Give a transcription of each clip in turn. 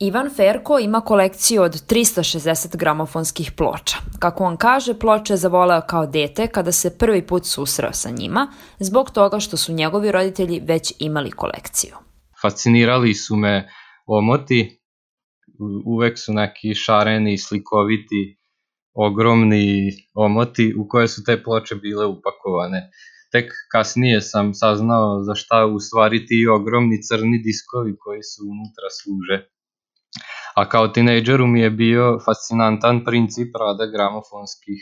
Ivan Ferko ima kolekciju od 360 gramofonskih ploča. Kako on kaže, ploče je zavoleo kao dete kada se prvi put susreo sa njima, zbog toga što su njegovi roditelji već imali kolekciju. Fascinirali su me omoti, uvek su neki šareni, slikoviti, ogromni omoti u koje su te ploče bile upakovane. Tek kasnije sam saznao za šta u stvari ti ogromni crni diskovi koji su unutra služe. A kao tinejdžeru mi je bio fascinantan princip rada gramofonskih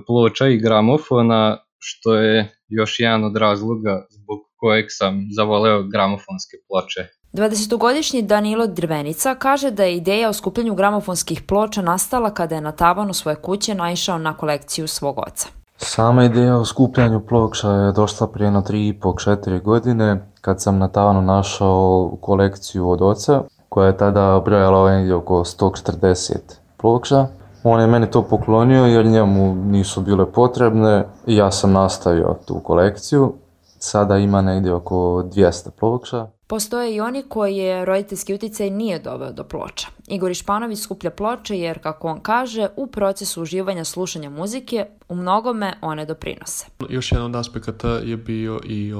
ploča i gramofona, što je još jedan od razloga zbog kojeg sam zavoleo gramofonske ploče. 20-godišnji Danilo Drvenica kaže da je ideja o skupljanju gramofonskih ploča nastala kada je na tavanu svoje kuće naišao na kolekciju svog oca. Sama ideja o skupljanju ploča je došla prije 3,5-4 godine kad sam na tavanu našao kolekciju od oca koja je tada brojala negdje oko 140 ploča. On je meni to poklonio jer njemu nisu bile potrebne i ja sam nastavio tu kolekciju. Sada ima negdje oko 200 ploča. Postoje i oni koji je roditeljski utjecaj nije doveo do ploča. Igor Išpanović skuplja ploče jer, kako on kaže, u procesu uživanja slušanja muzike u mnogome one doprinose. Još jedan od aspekata je bio i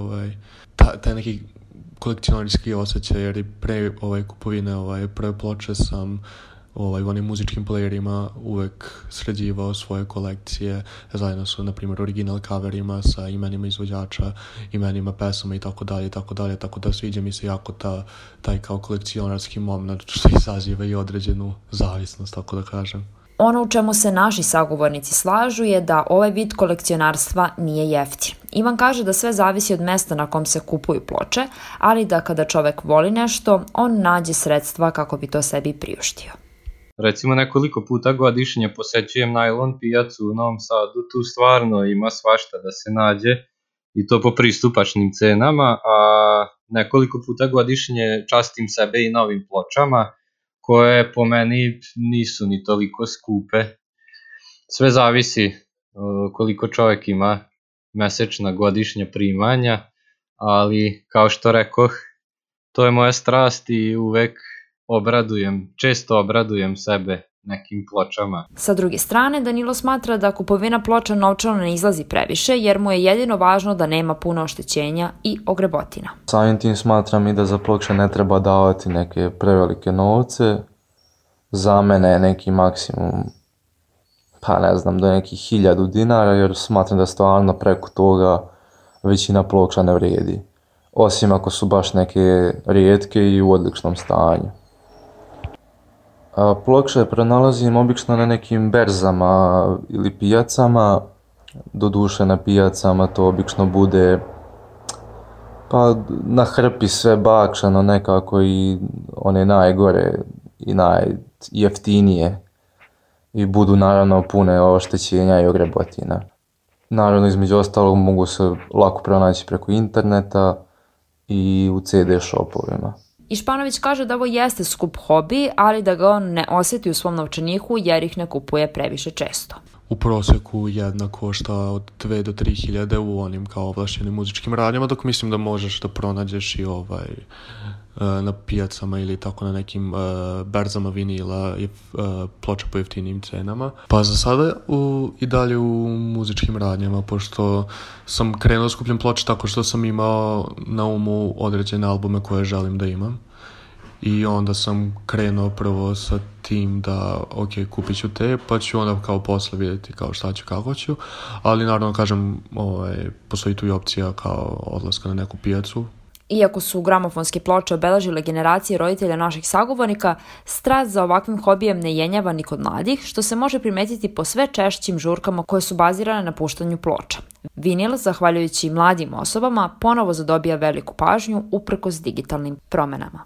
taj neki kolekcionarski osjećaj, jer i pre kupovine prve ploče sam u onim muzičkim playerima uvek sređivao svoje kolekcije zajedno su, na primjer, original coverima sa imenima izvođača, imenima pesama i tako da sviđa mi se jako taj kao kolekcionarski moment što izaziva i određenu zavisnost, tako da kažem. Ono u čemu se naši sagovornici slažu je da ovaj vid kolekcionarstva nije jeftin. Ivan kaže da sve zavisi od mesta na kom se kupuju ploče, ali da kada čovek voli nešto, on nađe sredstva kako bi to sebi priuštio. Recimo nekoliko puta godišnje posećujem najlon pijacu u Novom Sadu, tu stvarno ima svašta da se nađe i to po pristupačnim cenama, a nekoliko puta godišnje častim sebe i novim pločama koje po meni nisu ni toliko skupe. Sve zavisi koliko čovjek ima mesečna godišnja primanja, ali kao što rekoh, to je moja strast i uvek često obradujem sebe nekim pločama. Sa druge strane, Danilo smatra da kupovina ploča novčano ne izlazi previše, jer mu je jedino važno da nema puno oštećenja i ogrebotina. Samim tim smatram i da za ploče ne treba davati neke prevelike novce. Za mene je neki maksimum, do nekih 1000 dinara, jer smatram da stvarno preko toga većina ploča ne vrijedi. Osim ako su baš neke rijetke i u odličnom stanju. Ploče pronalazim obično na nekim berzama ili pijacama. Doduše na pijacama to obično bude na hrpi sve bakšano nekako i one najgore i najjeftinije. I budu naravno pune oštećenja i ogrebotina. Naravno, između ostalog mogu se lako pronaći preko interneta i u CD shopovima. Išpanović kaže da ovo jeste skup hobi, ali da ga on ne osjeti u svom novčaniku jer ih ne kupuje previše često. U proseku jedna košta od 2 do 3 hiljade u onim kao ovlašćenim muzičkim radnjama, dok mislim da možeš da pronađeš i na pijacama ili tako na nekim berzama vinila i ploča po jeftinijim cenama. Pa za sada i dalje u muzičkim radnjama, pošto sam krenuo skupljam ploče tako što sam imao na umu određene albume koje želim da imam. I onda sam krenuo prvo sa tim da kupit ću te, pa ću onda kao posle vidjeti kao šta ću, kako ću. Ali naravno kažem, postoji tu i opcija kao odlaska na neku pijacu. Iako su gramofonske ploče obeležile generacije roditelja naših sagovornika, strast za ovakvim hobijem ne jenjava ni kod mladih, što se može primetiti po sve češćim žurkama koje su bazirane na puštanju ploča. Vinil, zahvaljujući mladim osobama, ponovo zadobija veliku pažnju uprkos digitalnim promenama.